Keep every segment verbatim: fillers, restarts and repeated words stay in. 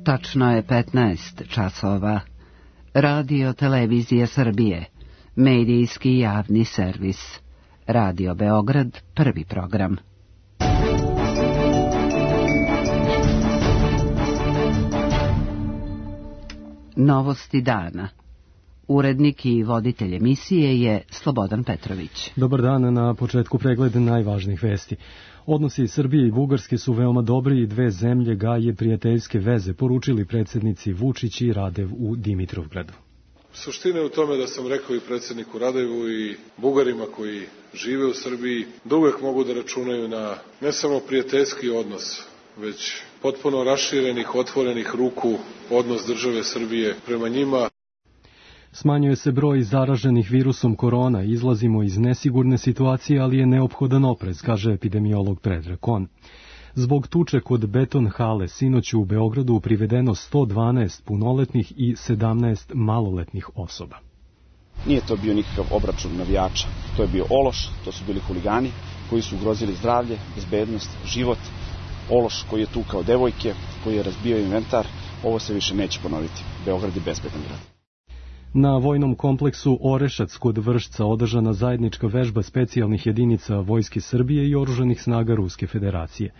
Tačno je petnaest časova. Radio Televizija Srbije, medijski javni servis. Radio Beograd, prvi program. Novosti dana. Urednik i voditelj emisije je Slobodan Petrović. Dobar dan, na početku pregled najvažnijih vesti. Odnosi Srbije i Bugarske su veoma dobri i dve zemlje gaje prijateljske veze, poručili predsjednici Vučić i Radev u Dimitrovgradu. Suština je u tome da sam rekao i predsjedniku Radevu i Bugarima koji žive u Srbiji da uvek mogu da računaju na ne samo prijateljski odnos, već potpuno raširenih, otvorenih ruku odnos države Srbije prema njima. Smanjuje se broj zaraženih virusom korona, izlazimo iz nesigurne situacije, ali je neophodan oprez, kaže epidemiolog Predrag Kon. Zbog tuče kod beton hale sinoć u Beogradu privedeno sto dvanaest punoletnih i sedamnaest maloletnih osoba. Nije to bio nikakav obračun navijača, to je bio ološ, to su bili huligani koji su ugrozili zdravlje, bezbednost, život. Ološ koji je tukao devojke, koji je razbio inventar, ovo se više neće ponoviti. Beograd je bezbedan grad. Na vojnom kompleksu Orešac kod Vršca održana zajednička vežba specijalnih jedinica Vojske Srbije i oružanih snaga Ruske federacije.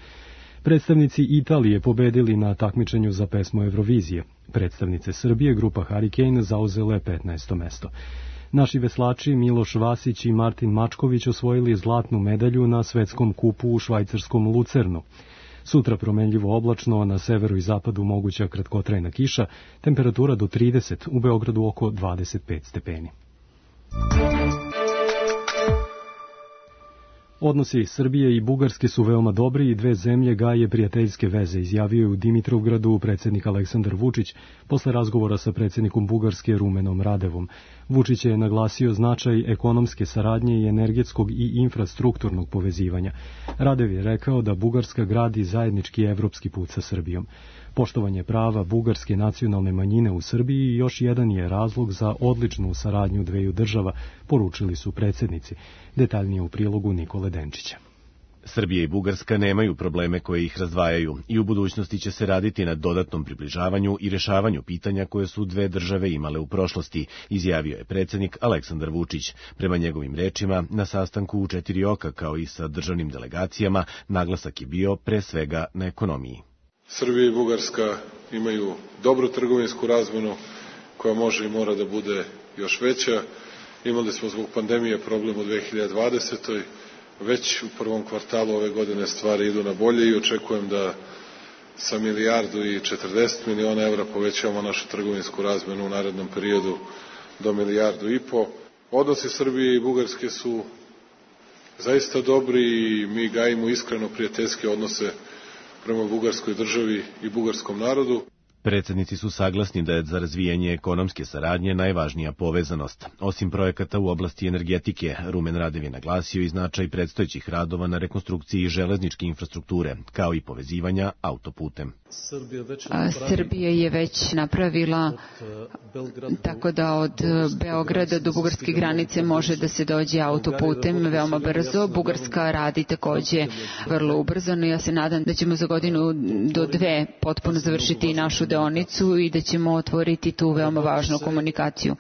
Predstavnici Italije pobedili na takmičenju za pesmu Eurovizije. Predstavnice Srbije, grupa Hurricane, zauzele petnaesto mesto. Naši veslači Miloš Vasić i Martin Mačković osvojili zlatnu medalju na svetskom kupu u švajcarskom Lucernu. Sutra promenljivo oblačno, a na severu i zapadu moguća kratkotrajna kiša, temperatura do trideset, u Beogradu oko dvadeset pet stepeni. Odnosi Srbije i Bugarske su veoma dobri i dve zemlje gaje prijateljske veze, izjavio je u Dimitrovgradu predsjednik Aleksandar Vučić posle razgovora sa predsjednikom Bugarske Rumenom Radevom. Vučić je naglasio značaj ekonomske saradnje i energetskog i infrastrukturnog povezivanja. Radev je rekao da Bugarska gradi zajednički evropski put sa Srbijom. Poštovanje prava bugarske nacionalne manjine u Srbiji još jedan je razlog za odličnu saradnju dveju država, poručili su predsjednici. Detaljnije u prilogu Nikole Denčića. Srbija i Bugarska nemaju probleme koje ih razdvajaju i u budućnosti će se raditi na dodatnom približavanju i rešavanju pitanja koje su dve države imale u prošlosti, izjavio je predsjednik Aleksandar Vučić. Prema njegovim rečima, na sastanku u četiri oka kao i sa državnim delegacijama, naglasak je bio pre svega na ekonomiji. Srbija i Bugarska imaju dobru trgovinsku razmenu koja može i mora da bude još veća. Imali smo zbog pandemije problem u dve hiljade dvadesetoj. Već u prvom kvartalu ove godine stvari idu na bolje i očekujem da sa milijardu i četrdeset miliona evra povećavamo našu trgovinsku razmenu u narednom periodu do milijardu i po. Odnosi Srbije i Bugarske su zaista dobri i mi gajimo iskreno prijateljske odnose prema bugarskoj državi i bugarskom narodu. Predsjednici su saglasni da je za razvijanje ekonomske saradnje najvažnija povezanost. Osim projekata u oblasti energetike, Rumen Radev je naglasio i značaj predstojećih radova na rekonstrukciji železničke infrastrukture, kao i povezivanja autoputem. Srbija je već napravila tako da od Beograda do bugarske granice može da se dođe autoputem veoma brzo. Bugarska radi takođe vrlo ubrzano. Ja se nadam da ćemo za godinu do dve potpuno završiti našu deonicu i da ćemo otvoriti tu veoma važnu komunikaciju.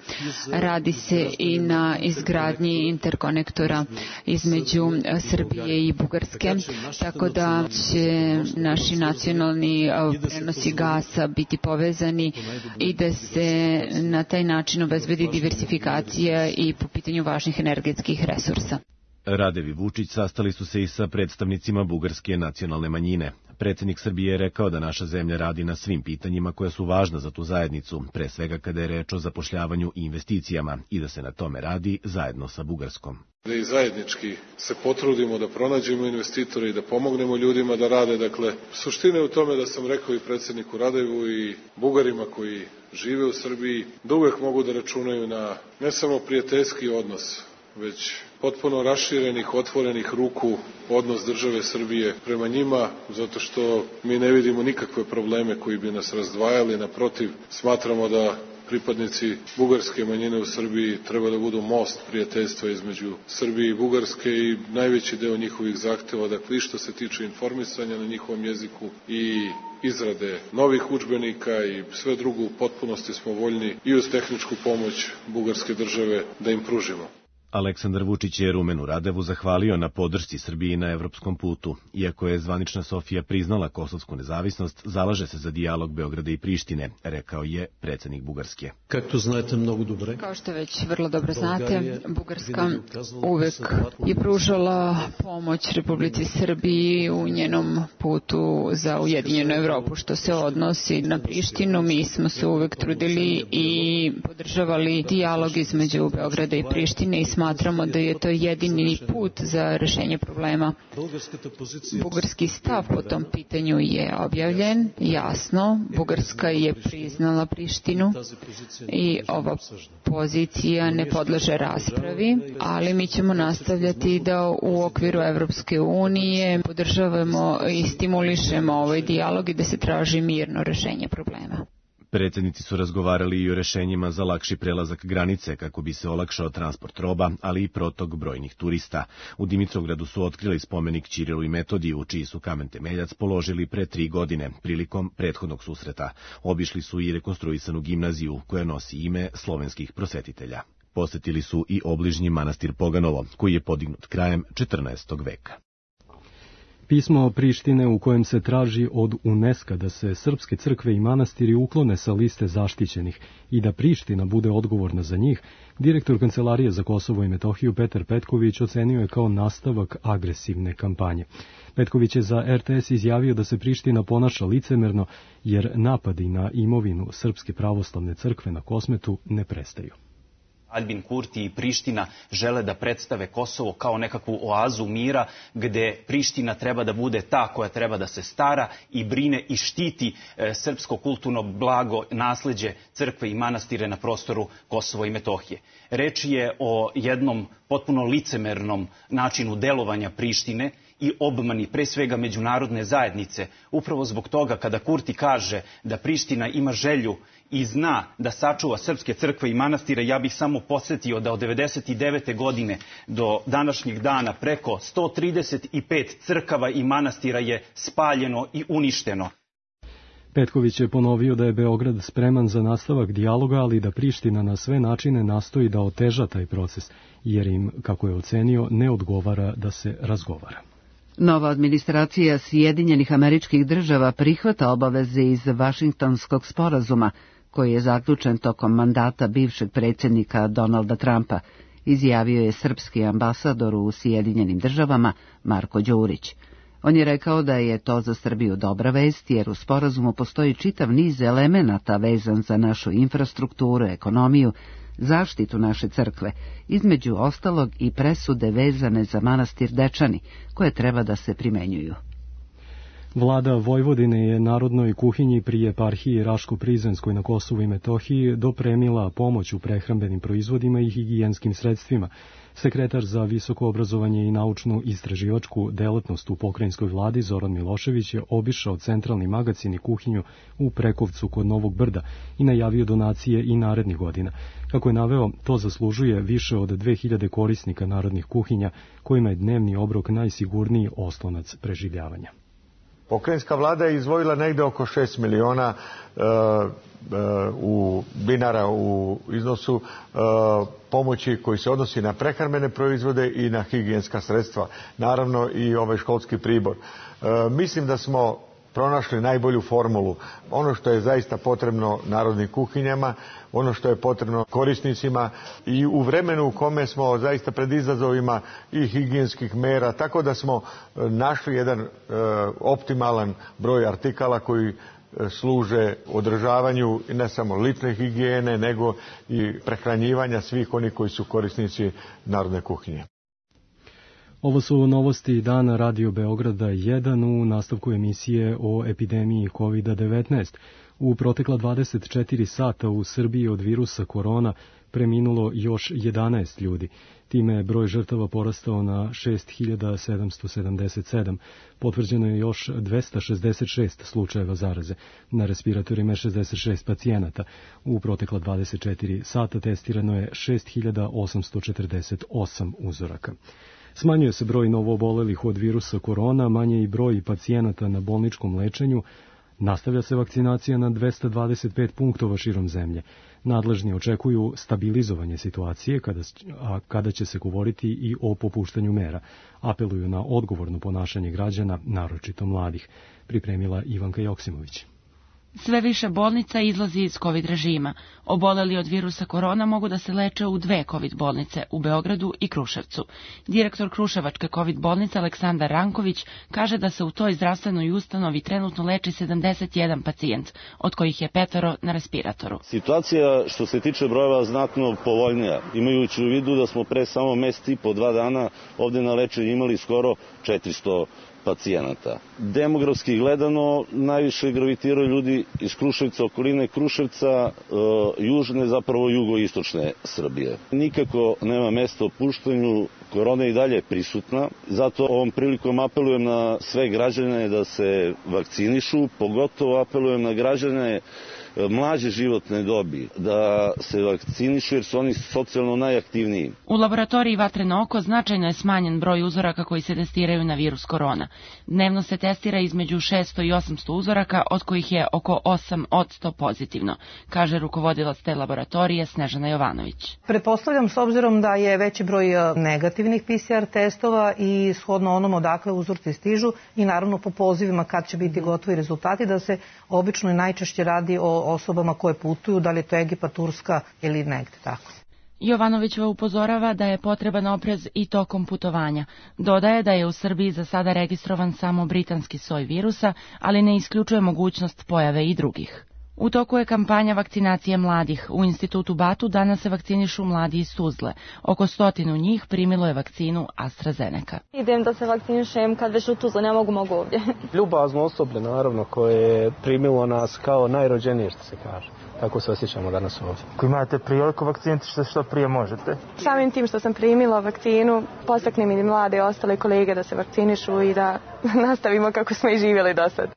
Radi se i na izgradnji interkonektora između Srbije i Bugarske, tako da će naši nacionalni prenosi gasa biti povezani i da se na taj način obezbedi diversifikacija i po pitanju važnih energetskih resursa. Radev i Vučić sastali su se i sa predstavnicima bugarske nacionalne manjine. Predsjednik Srbije je rekao da naša zemlja radi na svim pitanjima koja su važna za tu zajednicu, pre svega kada je reč o zapošljavanju i investicijama, i da se na tome radi zajedno sa Bugarskom. Da i zajednički se potrudimo da pronađemo investitore i da pomognemo ljudima da rade. Dakle, suština je u tome da sam rekao i predsjedniku Radevu i Bugarima koji žive u Srbiji da uvek mogu da računaju na ne samo prijateljski odnos, već potpuno raširenih, otvorenih ruku odnos države Srbije prema njima, zato što mi ne vidimo nikakve probleme koji bi nas razdvajali. Naprotiv, smatramo da pripadnici bugarske manjine u Srbiji treba da budu most prijateljstva između Srbije i Bugarske i najveći deo njihovih zahteva, dakle i što se tiče informisanja na njihovom jeziku i izrade novih udžbenika i sve drugo u potpunosti smo voljni i uz tehničku pomoć bugarske države da im pružimo. Aleksandar Vučić je Rumenu Radevu zahvalio na podršci Srbiji na evropskom putu. Iako je zvanična Sofija priznala kosovsku nezavisnost, zalaže se za dijalog Beograda i Prištine, rekao je predsjednik Bugarske. Kako znate mnogo dobre? Kao što već vrlo dobro znate, Bugarska uvek je pružala pomoć Republici Srbiji u njenom putu za ujedinjenu Evropu. Što se odnosi na Prištinu, mi smo se uvek trudili i podržavali dijalog između Beograda i Prištine i smatramo da je to jedini put za rešenje problema. Bugarski stav po tom pitanju je objavljen, jasno. Bugarska je priznala Prištinu i ova pozicija ne podleže raspravi, ali mi ćemo nastavljati da u okviru Evropske unije podržavamo i stimulišemo ovaj dijalog i da se traži mirno rešenje problema. Predsjednici su razgovarali i o rešenjima za lakši prelazak granice kako bi se olakšao transport roba, ali i protok brojnih turista. U Dimitrovgradu su otkrili spomenik Ćirilu i Metodiju, čiji su kamen temeljac položili pre tri godine, prilikom prethodnog susreta. Obišli su i rekonstruisanu gimnaziju, koja nosi ime slovenskih prosvetitelja. Posetili su i obližnji manastir Poganovo, koji je podignut krajem četrnaestog veka. Pismo Prištine u kojem se traži od UNESCO da se srpske crkve i manastiri uklone sa liste zaštićenih i da Priština bude odgovorna za njih, direktor Kancelarije za Kosovo i Metohiju Petar Petković ocenio je kao nastavak agresivne kampanje. Petković je za er te es izjavio da se Priština ponaša licemerno jer napadi na imovinu Srpske pravoslavne crkve na Kosmetu ne prestaju. Albin Kurti i Priština žele da predstave Kosovo kao nekakvu oazu mira gde Priština treba da bude ta koja treba da se stara i brine i štiti e, srpsko kulturno blago, nasleđe crkve i manastire na prostoru Kosova i Metohije. Reč je o jednom potpuno licemernom načinu delovanja Prištine i obmani pre svega međunarodne zajednice. Upravo zbog toga kada Kurti kaže da Priština ima želju i zna da sačuva srpske crkve i manastire, ja bih samo podsjetio da od devedeset devete godine do današnjeg dana preko sto trideset pet crkava i manastira je spaljeno i uništeno. Petković je ponovio da je Beograd spreman za nastavak dijaloga, ali da Priština na sve načine nastoji da oteža taj proces, jer im, kako je ocenio, ne odgovara da se razgovara. Nova administracija Sjedinjenih Američkih Država prihvata obaveze iz Vašingtonskog sporazuma, koji je zaključen tokom mandata bivšeg predsjednika Donalda Trumpa, izjavio je srpski ambasador u Sjedinjenim Državama Marko Đurić. On je rekao da je to za Srbiju dobra vest, jer u sporazumu postoji čitav niz elemenata vezan za našu infrastrukturu, ekonomiju, zaštitu naše crkve, između ostalog i presude vezane za manastir Dečani, koje treba da se primenjuju. Vlada Vojvodine je Narodnoj kuhinji pri eparhiji Raško-Prizrenskoj na Kosovu i Metohiji dopremila pomoć u prehrambenim proizvodima i higijenskim sredstvima. Sekretar za visoko obrazovanje i naučnu istraživačku delatnost u pokrajinskoj vladi Zoran Milošević je obišao centralni magacin i kuhinju u Prekovcu kod Novog Brda i najavio donacije i narednih godina. Kako je naveo, to zaslužuje više od dve hiljade korisnika narodnih kuhinja, kojima je dnevni obrok najsigurniji oslonac preživljavanja. Pokrajinska vlada je izdvojila negde oko šest miliona e, e, u dinara u iznosu e, pomoći koji se odnosi na prehrambene proizvode i na higijenska sredstva. Naravno i ovaj školski pribor. E, mislim da smo pronašli najbolju formulu. Ono što je zaista potrebno narodnim kuhinjama, ono što je potrebno korisnicima i u vremenu u kome smo zaista pred izazovima i higijenskih mera, tako da smo našli jedan e, optimalan broj artikala koji služe održavanju ne samo lične higijene, nego i prehranjivanja svih onih koji su korisnici narodne kuhinje. Ovo su novosti dana Radio Beograda jedan u nastavku emisije o epidemiji kovid devetnaest. U protekla dvadeset četiri sata u Srbiji od virusa korona preminulo još jedanaest ljudi. Time je broj žrtava porastao na šest hiljada sedamsto sedamdeset sedam. Potvrđeno je još dvesta šezdeset šest slučajeva zaraze. Na respiratorima je šezdeset šest pacijenata. U protekla dvadeset četiri sata testirano je šest hiljada osamsto četrdeset osam uzoraka. Smanjuje se broj novoobolelih od virusa korona, manje i broj pacijenata na bolničkom lečenju. Nastavlja se vakcinacija na dvesta dvadeset pet punktova širom zemlje. Nadležni očekuju stabilizovanje situacije, kada, a kada će se govoriti i o popuštanju mera. Apeluju na odgovorno ponašanje građana, naročito mladih. Pripremila Ivanka Joksimović. Sve više bolnica izlazi iz COVID režima. Oboleli od virusa korona mogu da se leče u dve COVID bolnice, u Beogradu i Kruševcu. Direktor Kruševačke COVID bolnice Aleksandar Ranković kaže da se u toj zdravstvenoj ustanovi trenutno leči sedamdeset jedan pacijent, od kojih je petoro na respiratoru. Situacija što se tiče brojeva znatno povoljnija, imajući u vidu da smo pre samo mesec i po dva dana ovde na lečenju imali skoro četiristo pacijenata. Demografski gledano, najviše gravitiraju ljudi iz Kruševca, okoline Kruševca, e, južne, zapravo jugoistočne Srbije. Nikako nema mesta opuštanju, korona je i dalje prisutna, zato ovom prilikom apelujem na sve građane da se vakcinišu, pogotovo apelujem na građane mlađe životne dobi, da se vakcinišu jer su oni socijalno najaktivniji. U laboratoriji Vatreno oko značajno je smanjen broj uzoraka koji se testiraju na virus korona. Dnevno se testira između šesto i osamsto uzoraka, od kojih je oko osam posto pozitivno, kaže rukovodilac te laboratorije Snežana Jovanović. Pretpostavljam, s obzirom da je veći broj negativnih P C R testova i shodno onom odakle uzorci stižu i naravno po pozivima kad će biti gotovi rezultati, da se obično i najčešće radi o osobama koje putuju, da li je to Egipat, Turska ili negde tako. Jovanovićeva upozorava da je potreban oprez i tokom putovanja. Dodaje da je u Srbiji za sada registrovan samo britanski soj virusa, ali ne isključuje mogućnost pojave i drugih. U toku je kampanja vakcinacije mladih. U institutu Batu danas se vakcinišu mladi iz Tuzle. Oko stotinu njih primilo je vakcinu AstraZeneca. Idem da se vakcinišem, kad već u Tuzle ne mogu, mogu ovdje. Ljubazno osoblje, naravno, koje je primilo nas kao najrođenije, što se kaže. Tako se osjećamo danas ovdje. Ako imate priliku vakciniti što, što prije možete. Samim tim što sam primila vakcinu, postaknem i mlade i ostale kolege da se vakcinišu i da nastavimo kako smo i živjeli do sad.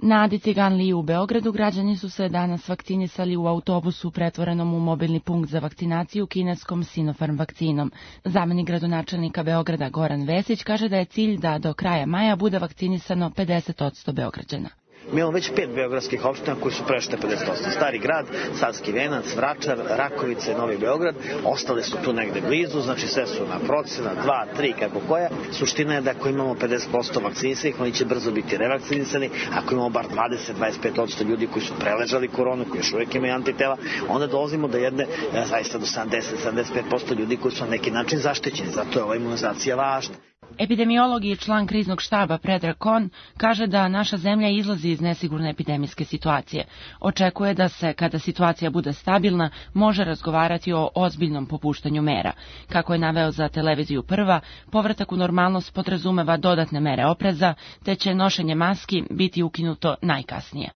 Na Adi Ciganliji u Beogradu građani su se danas vakcinisali u autobusu pretvorenom u mobilni punkt za vakcinaciju kineskom Sinopharm vakcinom. Zamenik gradonačelnika Beograda Goran Vesić kaže da je cilj da do kraja maja bude vakcinisano pedeset posto Beograđana. Mi imamo već pet beogradskih opština koji su prešle pedeset posto. Stari grad, Savski Venac, Vračar, Rakovica i Novi Beograd. Ostale su tu negde blizu, znači sve su na procena, dva, tri, kako koja. Suština je da ako imamo pedeset posto vakcinisanih, oni će brzo biti revakcinisani. Ako imamo bar dvadeset do dvadeset pet posto ljudi koji su preležali koronu, koji još uvijek imaju antitela, onda dolazimo do jedne, zaista do sedamdeset do sedamdeset pet posto ljudi koji su na neki način zaštićeni. Zato je ova imunizacija važna. Epidemiolog i član kriznog štaba Predrag Kon kaže da naša zemlja izlazi iz nesigurne epidemijske situacije. Očekuje da se, kada situacija bude stabilna, može razgovarati o ozbiljnom popuštanju mera. Kako je naveo za televiziju Prva, povratak u normalnost podrazumeva dodatne mere opreza, te će nošenje maski biti ukinuto najkasnije.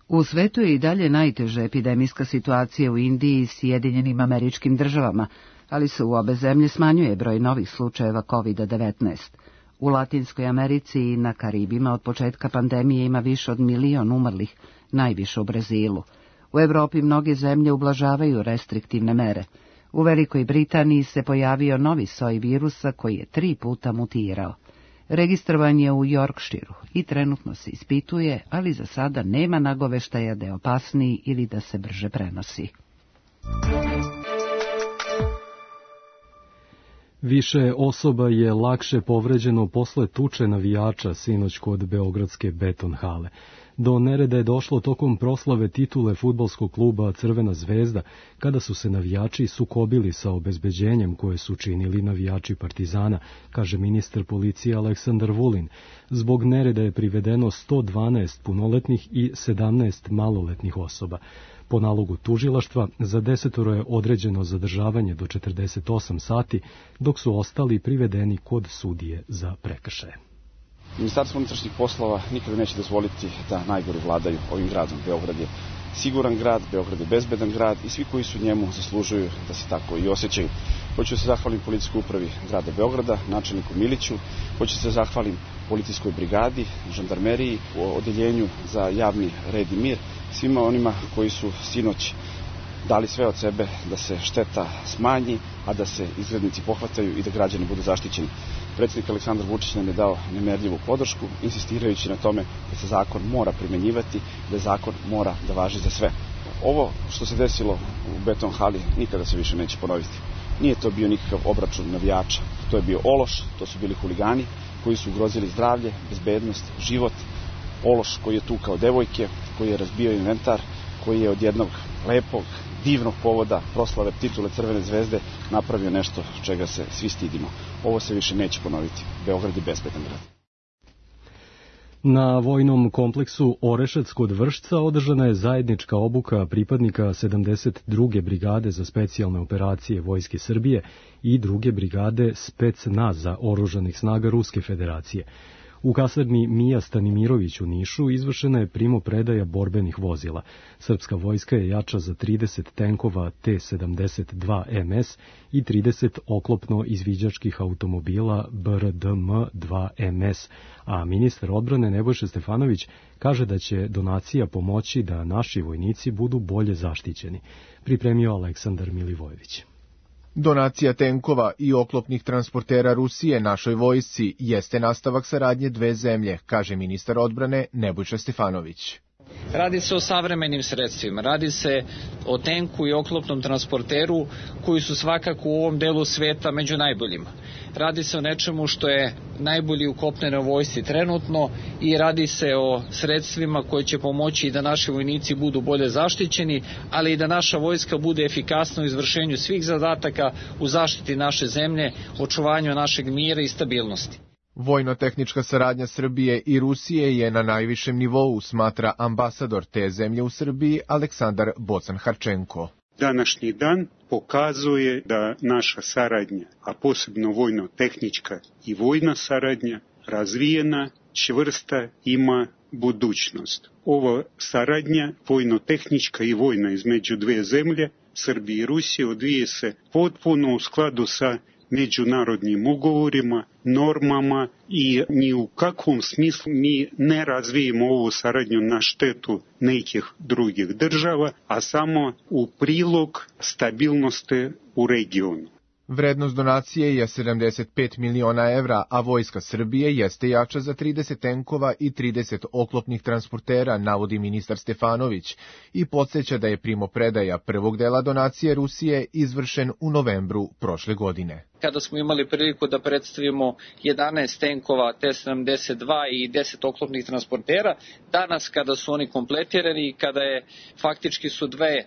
U svetu je i dalje najteža epidemijska situacija u Indiji i Sjedinjenim Američkim Državama, ali se u obe zemlje smanjuje broj novih slučajeva kovid devetnaest. U Latinskoj Americi i na Karibima od početka pandemije ima više od milion umrlih, najviše u Brazilu. U Evropi mnoge zemlje ublažavaju restriktivne mere. U Velikoj Britaniji se pojavio novi soj virusa koji je tri puta mutirao. Registrovan je u Yorkshiru i trenutno se ispituje, ali za sada nema nagoveštaja da je opasniji ili da se brže prenosi. Više osoba je lakše povređeno posle tuče navijača sinoć kod beogradske Beton hale. Do nereda je došlo tokom proslave titule fudbalskog kluba Crvena zvezda, kada su se navijači sukobili sa obezbeđenjem koje su činili navijači Partizana, kaže ministar policije Aleksandar Vulin. Zbog nereda je privedeno sto dvanaest punoletnih i sedamnaest maloletnih osoba. Po nalogu tužilaštva za desetoro je određeno zadržavanje do četrdeset osam sati, dok su ostali privedeni kod sudije za prekršaje. Ministarstvo unutrašnjih poslova nikada neće dozvoliti da najgori vladaju ovim gradom. Beograd je siguran grad, Beograd je bezbedan grad i svi koji su njemu zaslužuju da se tako i osjećaju. Hoću da se zahvalim policijskoj upravi grada Beograda, načelniku Miliću, hoću da se zahvalim policijskoj brigadi, žandarmeriji, odeljenju za javni red i mir, svima onima koji su sinoć dali sve od sebe da se šteta smanji, a da se izgrednici pohvataju i da građani budu zaštićeni. Predsjednik Aleksandar Vučić nam je dao nemerljivu podršku, insistirajući na tome da se zakon mora primenjivati, da zakon mora da važi za sve. Ovo što se desilo u Beton hali nikada se više neće ponoviti. Nije to bio nikakav obračun navijača, to je bio ološ, to su bili huligani koji su ugrozili zdravlje, bezbednost, život, ološ koji je tukao devojke, koji je razbio inventar, koji je od jednog lepog, divnog povoda proslave titule Crvene zvezde napravio nešto čega se svi stidimo. Ovo se više neće ponoviti. Beograd je bezbedan grad. Na vojnom kompleksu Orešac kod Vršca održana je zajednička obuka pripadnika sedamdeset druge brigade za specijalne operacije Vojske Srbije i druge brigade Specnaza oružanih snaga Ruske federacije. U kasarni Mija Stanimirović u Nišu izvršena je primopredaja borbenih vozila. Srpska vojska je jača za trideset tenkova T sedamdeset dva M S i trideset oklopno izviđačkih automobila B R D M dva M S, a ministar odbrane Nebojša Stefanović kaže da će donacija pomoći da naši vojnici budu bolje zaštićeni. Pripremio Aleksandar Milivojević. Donacija tenkova i oklopnih transportera Rusije našoj vojsci jeste nastavak saradnje dve zemlje, kaže ministar odbrane Nebojša Stefanović. Radi se o savremenim sredstvima, radi se o tenku i oklopnom transporteru koji su svakako u ovom delu sveta među najboljima. Radi se o nečemu što je najbolji u kopnenoj vojsci trenutno i radi se o sredstvima koje će pomoći da naši vojnici budu bolje zaštićeni, ali i da naša vojska bude efikasna u izvršenju svih zadataka u zaštiti naše zemlje, očuvanju našeg mira i stabilnosti. Vojno-tehnička saradnja Srbije i Rusije je na najvišem nivou, smatra ambasador te zemlje u Srbiji Aleksandar Bocan-Harčenko. Današnji dan pokazuje da naša saradnja, a posebno vojno-tehnička i vojna saradnja, razvijena, čvrsta, ima budućnost. Ova saradnja, vojno-tehnička i vojna između dve zemlje, Srbije i Rusije, odvije se potpuno u skladu sa međunarodnim ugovorima, normama i ni u kakvom smislu mi ne razvijemo ovu saradnju na štetu nekih drugih država, a samo u prilog stabilnosti u regionu. Vrednost donacije je sedamdeset pet miliona evra, a Vojska Srbije jeste jača za trideset tenkova i trideset oklopnih transportera, navodi ministar Stefanović, i podsjeća da je primopredaja prvog dela donacije Rusije izvršen u novembru prošle godine. Kada smo imali priliku da predstavimo jedanaest tenkova T sedamdeset dva i deset oklopnih transportera, danas kada su oni kompletirani i kada je faktički su dve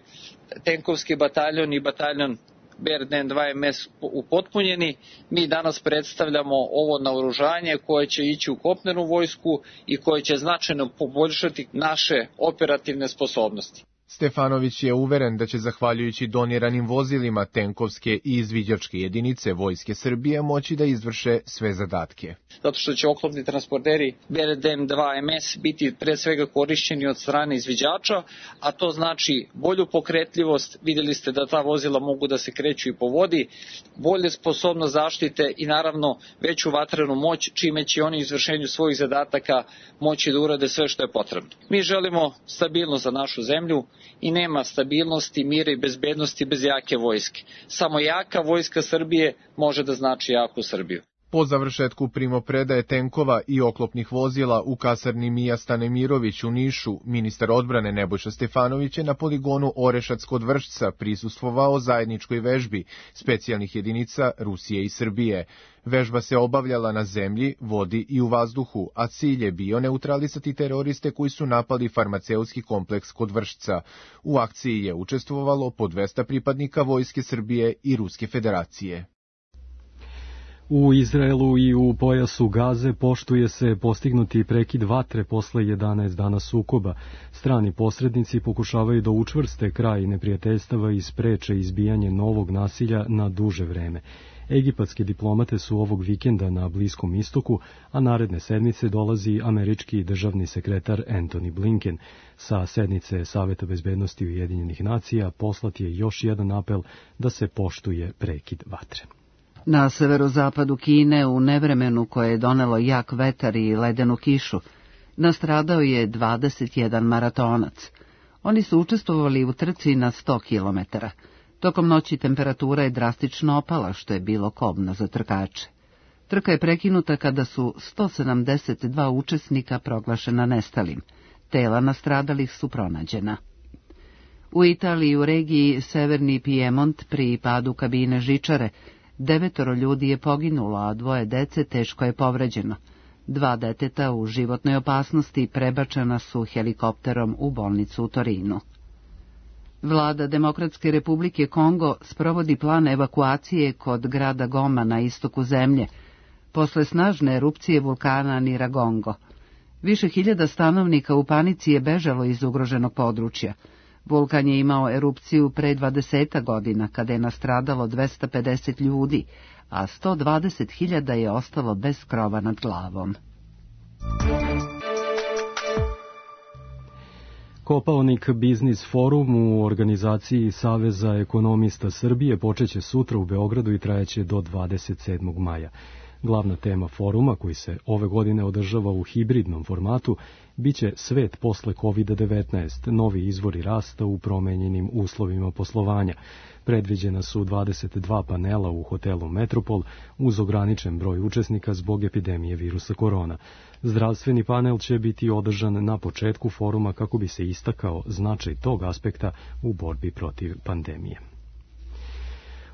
tenkovski bataljon i bataljon B R D M dva M S upotpunjeni, mi danas predstavljamo ovo naoružanje koje će ići u kopnenu vojsku i koje će značajno poboljšati naše operativne sposobnosti. Stefanović je uveren da će zahvaljujući doniranim vozilima tenkovske i izviđačke jedinice Vojske Srbije moći da izvrše sve zadatke. Zato što će oklopni transporteri B R D M dva M S biti pre svega korišćeni od strane izviđača, a to znači bolju pokretljivost, vidjeli ste da ta vozila mogu da se kreću i po vodi, bolje sposobnost zaštite i naravno veću vatrenu moć, čime će oni u izvršenju svojih zadataka moći da urade sve što je potrebno. Mi želimo stabilnost za našu zemlju, i nema stabilnosti, mira i bezbednosti bez jake vojske. Samo jaka vojska Srbije može da znači jaku Srbiju. Po završetku primopredaje tenkova i oklopnih vozila u kasarni Mija Stanemirović u Nišu, ministar odbrane Nebojša Stefanović je na poligonu Orešac kod Vršca prisustvovao zajedničkoj vežbi specijalnih jedinica Rusije i Srbije. Vežba se obavljala na zemlji, vodi i u vazduhu, a cilj je bio neutralisati teroriste koji su napali farmaceutski kompleks kod Vršca. U akciji je učestvovalo po dvesta pripadnika Vojske Srbije i Ruske Federacije. U Izraelu i u pojasu Gaze poštuje se postignuti prekid vatre posle jedanaest dana sukoba. Strani posrednici pokušavaju da učvrste kraj neprijateljstava i spreče izbijanje novog nasilja na duže vreme. Egipatske diplomate su ovog vikenda na Bliskom istoku, a naredne sedmice dolazi američki državni sekretar Antony Blinken. Sa sednice Saveta bezbednosti Ujedinjenih nacija poslat je još jedan apel da se poštuje prekid vatre. Na severozapadu Kine, u nevremenu koje je donelo jak vetar i ledenu kišu, nastradao je dvadeset jedan maratonac. Oni su učestvovali u trci na sto kilometara. Tokom noći temperatura je drastično opala, što je bilo kobno za trkače. Trka je prekinuta kada su sto sedamdeset dva učesnika proglašena nestalim. Tela nastradalih su pronađena. U Italiji, u regiji Severni Pijemont, pri padu kabine žičare, devetoro ljudi je poginulo, a dvoje dece teško je povređeno. Dva deteta u životnoj opasnosti prebačena su helikopterom u bolnicu u Torinu. Vlada Demokratske republike Kongo sprovodi plan evakuacije kod grada Goma na istoku zemlje, posle snažne erupcije vulkana Niragongo. Više hiljada stanovnika u panici je bežalo iz ugroženog područja. Vulkan je imao erupciju pre dvadeset godina, kada je nastradalo dvesta pedeset ljudi, a sto dvadeset hiljada je ostalo bez krova nad glavom. Kopaonik Biznis forum u organizaciji Saveza ekonomista Srbije počeće sutra u Beogradu i trajeće do dvadeset sedmog maja. Glavna tema foruma, koji se ove godine održava u hibridnom formatu, biće svet posle kovid devetnaest, novi izvori rasta u promenjenim uslovima poslovanja. Predviđena su dvadeset dva panela u hotelu Metropol uz ograničen broj učesnika zbog epidemije virusa korona. Zdravstveni panel će biti održan na početku foruma kako bi se istakao značaj tog aspekta u borbi protiv pandemije.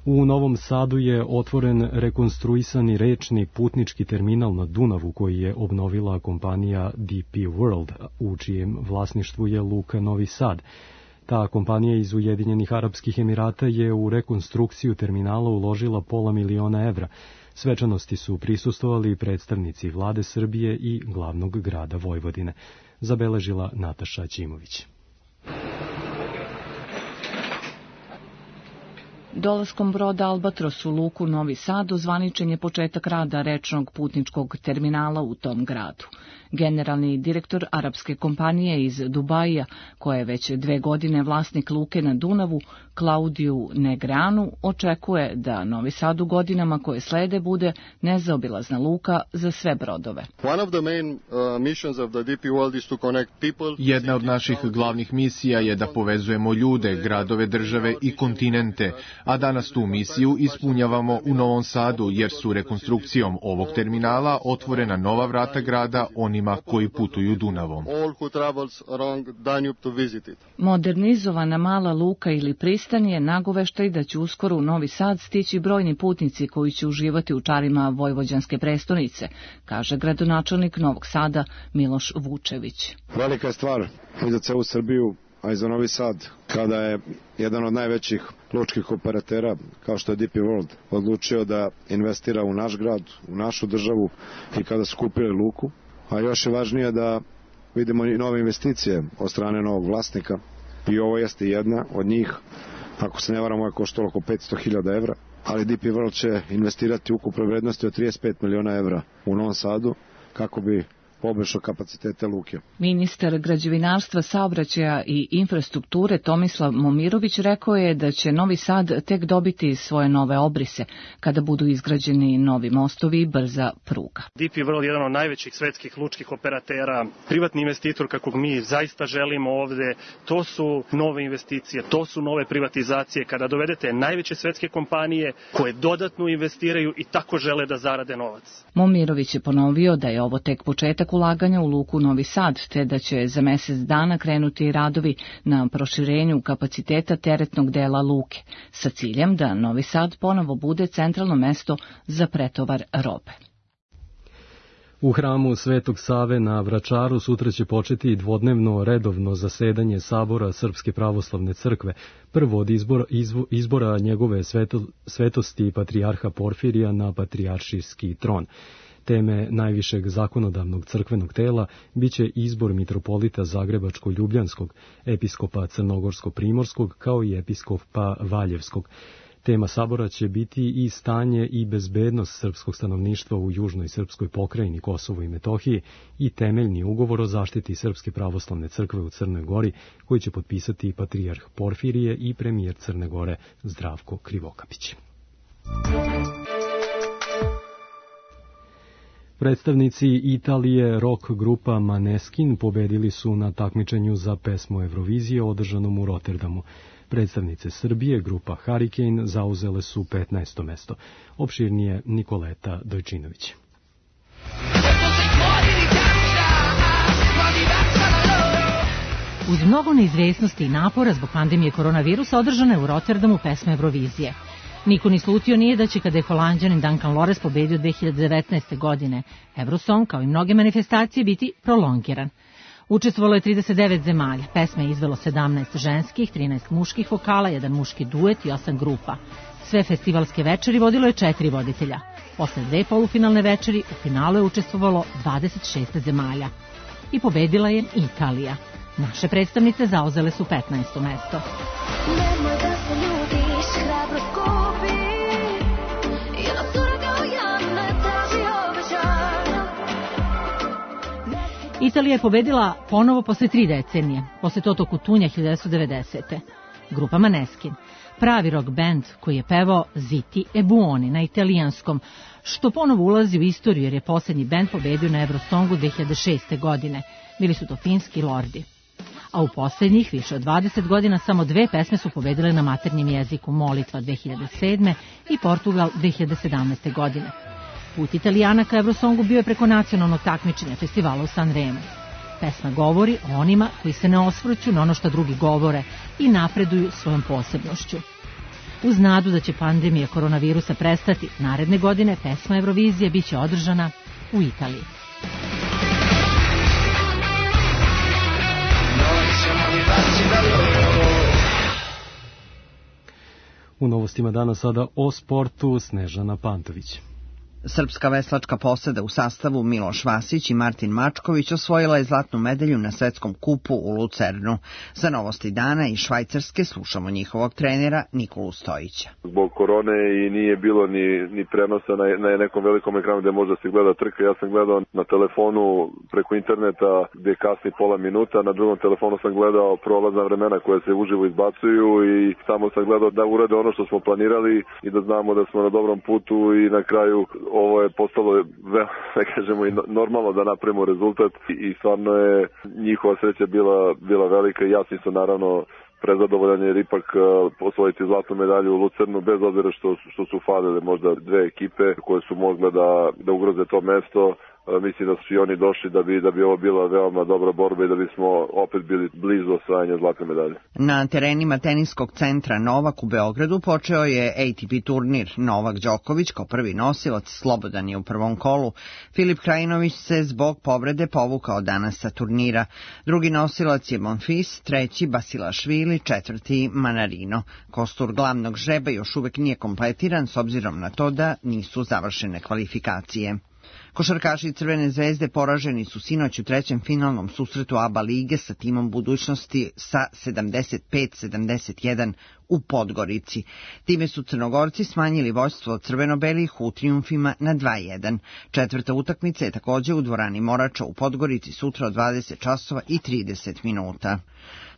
U Novom Sadu je otvoren rekonstruisani rečni putnički terminal na Dunavu koji je obnovila kompanija D P World, u čijem vlasništvu je Luka Novi Sad. Ta kompanija iz Ujedinjenih Arapskih Emirata je u rekonstrukciju terminala uložila pola miliona evra. Svečanosti su prisustvovali predstavnici vlade Srbije i glavnog grada Vojvodine, zabeležila Nataša Ćimović. Dolaskom broda Albatros u luku Novi Sad ozvaničen je početak rada rečnog putničkog terminala u tom gradu. Generalni direktor arapske kompanije iz Dubaija, koja je već dve godine vlasnik luke na Dunavu, Klaudiju Negreanu, očekuje da Novi Sad u godinama koje slede bude nezaobilazna luka za sve brodove. Jedna od naših glavnih misija je da povezujemo ljude, gradove, države i kontinente, a danas tu misiju ispunjavamo u Novom Sadu, jer su rekonstrukcijom ovog terminala otvorena nova vrata grada onima koji putuju Dunavom. Modernizovana mala luka ili pristan je nagoveštaj da će uskoro u Novi Sad stići brojni putnici koji će uživati u čarima vojvođanske prestonice, kaže gradonačelnik Novog Sada Miloš Vučević. Velika je stvar i za celu Srbiju, a i za Novi Sad, kada je jedan od najvećih lučkih operatera, kao što je D P World, odlučio da investira u naš grad, u našu državu i kada su kupili luku. A još je važnije da vidimo i nove investicije od strane novog vlasnika i ovo jeste jedna od njih. Ako se ne varamo, je koštalo oko petsto hiljada evra, ali D P World će investirati ukupno vrednosti od trideset pet miliona evra u Novom Sadu kako bi poboljšao kapacitete luke. Ministar građevinarstva, saobraćaja i infrastrukture Tomislav Momirović rekao je da će Novi Sad tek dobiti svoje nove obrise kada budu izgrađeni novi mostovi i brza pruga. D P World je jedan od najvećih svetskih lučkih operatera, privatni investitor kakvog mi zaista želimo ovde, to su nove investicije, to su nove privatizacije, kada dovedete najveće svetske kompanije koje dodatno investiraju i tako žele da zarade novac. Momirović je ponovio da je ovo tek početak ulaganja u luku Novi Sad, te da će za mesec dana krenuti radovi na proširenju kapaciteta teretnog dela luke, sa ciljem da Novi Sad ponovo bude centralno mesto za pretovar robe. U hramu Svetog Save na Vračaru sutra će početi dvodnevno redovno zasedanje Sabora Srpske pravoslavne crkve, prvo od izbora, izvo, izbora njegove sveto, svetosti patrijarha Porfirija na patrijaršijski tron. Teme najvišeg zakonodavnog crkvenog tela biće izbor mitropolita Zagrebačko-Ljubljanskog, episkopa Crnogorsko-Primorskog kao i episkopa Valjevskog. Tema sabora će biti i stanje i bezbednost srpskog stanovništva u južnoj srpskoj pokrajini Kosovo i Metohiji i temeljni ugovor o zaštiti Srpske pravoslavne crkve u Crnoj Gori, koji će potpisati patrijarh Porfirije i premijer Crne Gore Zdravko Krivokapić. Predstavnici Italije rock grupa Maneskin pobedili su na takmičenju za pesmu Eurovizije održanom u Rotterdamu. Predstavnice Srbije, grupa Hurricane, zauzele su petnaesto mesto. Opširnije Nikoleta Dojčinović. Uz mnogo neizvesnosti i napora zbog pandemije koronavirusa održana je u Rotterdamu pesma Eurovizije. Niko ni slutio nije da će kada je Holanđanin Duncan Lawrence pobedio dve hiljade devetnaeste. godine Eurosong, kao i mnoge manifestacije, biti prolongiran. Učestvovalo je trideset devet zemalja, pesme je izvelo sedamnaest ženskih, trinaest muških vokala, jedan muški duet i osam grupa. Sve festivalske večeri vodilo je četiri voditelja. Posle dve polufinalne večeri u finalu je učestvovalo dvadeset šest zemalja. I pobedila je Italija. Naše predstavnice zauzele su petnaesto mesto. Nemoj da se ljubiš, hrabro skupi, jedna cura kao ja ne traži obećanja. Italija je pobedila ponovo posle tri decenije, posle Toto Cutugna hiljadu devetsto devedesete. Grupa Maneskin, pravi rock band koji je pevao Zitti e Buoni na italijanskom, što ponovo ulazi u istoriju jer je posljednji band pobedio na Eurosongu dve hiljade šeste. godine. Bili su to finski lordi. A u posljednjih više od dvadeset godina samo dve pesme su pobedile na maternjem jeziku, Molitva dve hiljade sedme. i Portugal dve hiljade sedamnaeste. godine. Put Italijana ka Eurosongu bio je preko nacionalnog takmičenja festivala u Sanremu. Pesma govori o onima koji se ne osvrću na ono što drugi govore i napreduju svojom posebnošću. Uz nadu da će pandemija koronavirusa prestati, naredne godine pesma Eurovizije biće održana u Italiji. U novostima dana sada o sportu Snežana Pantović. Srpska veslačka posada u sastavu Miloš Vasić i Martin Mačković osvojila je zlatnu medalju na svetskom kupu u Lucernu. Za novosti dana i Švajcarske slušamo njihovog trenera Nikolu Stojića. Zbog korone i nije bilo ni, ni prenosa na, na nekom velikom ekranu gde može se gleda trka. Ja sam gledao na telefonu preko interneta gde kasni pola minuta, na drugom telefonu sam gledao prolazna vremena koje se uživo izbacuju i samo sam gledao da urade ono što smo planirali i da znamo da smo na dobrom putu i na kraju ovo je postalo, da kažemo, i normalno da napravimo rezultat i stvarno je njihova sreća bila, bila velika i jasni su naravno prezadovoljan jer ipak osvojiti zlatnu medalju u Lucernu bez obzira što, što su falile možda dve ekipe koje su mogle da, da ugroze to mesto. Mislim da su i oni došli da bi, da bi ovo bila veoma dobra borba i da bismo opet bili blizu osvajanja zlatne medalje. Na terenima teniskog centra Novak u Beogradu počeo je A T P turnir. Novak Đoković kao prvi nosilac slobodan je u prvom kolu. Filip Krajinović se zbog povrede povukao danas sa turnira. Drugi nosilac je Monfils, treći Basilašvili, četvrti Manarino. Kostur glavnog žreba još uvek nije kompletiran s obzirom na to da nisu završene kvalifikacije. Košarkaši Crvene zvezde poraženi su sinoć u trećem finalnom susretu A B A lige sa timom budućnosti sa sedamdeset pet sedamdeset jedan u Podgorici. Time su Crnogorci smanjili vođstvo crveno-belih u trijumfima na dva jedan. Četvrta utakmica je takođe u dvorani Morača u Podgorici sutra od dvadeset časova i trideset minuta.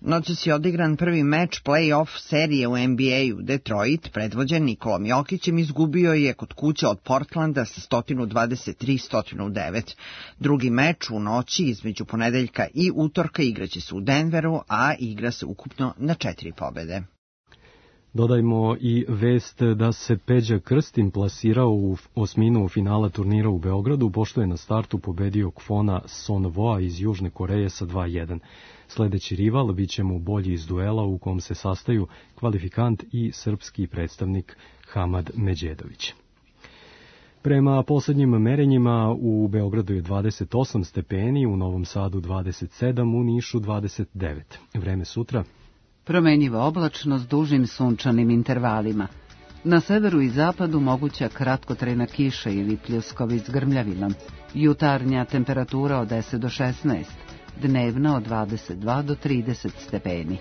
Noćas je odigran prvi meč play-off serije u N B A-u. Detroit, predvođen Nikolom Jokićem, izgubio je kod kuće od Portlanda sa sto dvadeset tri sto devet. Drugi meč u noći između ponedeljka i utorka igraće se u Denveru, a igra se ukupno na četiri pobede. Dodajmo i vest da se Peđa Krstin plasirao u osminu finala turnira u Beogradu, pošto je na startu pobedio Kwona Sonvoa iz Južne Koreje sa dva jedan. Sledeći rival biće mu bolji iz duela u kom se sastaju kvalifikant i srpski predstavnik Hamad Međedović. Prema poslednjim merenjima u Beogradu je dvadeset osam stepeni, u Novom Sadu dvadeset sedam, u Nišu dvadeset devet. Vreme sutra? Promenjiva oblačno s dužim sunčanim intervalima. Na severu i zapadu moguća kratkotrajna kiša ili pljuskovi s grmljavinom. Jutarnja temperatura od deset do šesnaest, dnevna od dvadeset dva do trideset stepeni.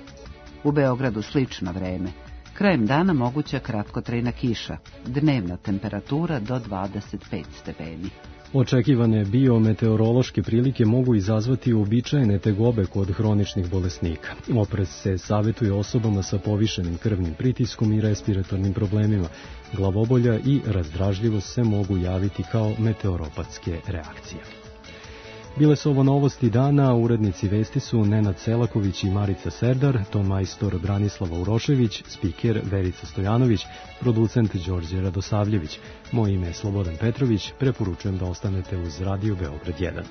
U Beogradu slično vreme. Krajem dana moguća kratkotrajna kiša, dnevna temperatura do dvadeset pet stepeni. Očekivane biometeorološke prilike mogu izazvati uobičajene tegobe kod hroničnih bolesnika. Oprez se savjetuje osobama sa povišenim krvnim pritiskom i respiratornim problemima. Glavobolja i razdražljivost se mogu javiti kao meteoropatske reakcije. Bile su ovo novosti dana, urednici vesti su Nenad Selaković i Marica Serdar, ton majstor Branislava Urošević, spiker Verica Stojanović, producent Đorđe Radosavljević. Moje ime je Slobodan Petrović, preporučujem da ostanete uz Radio Beograd jedan.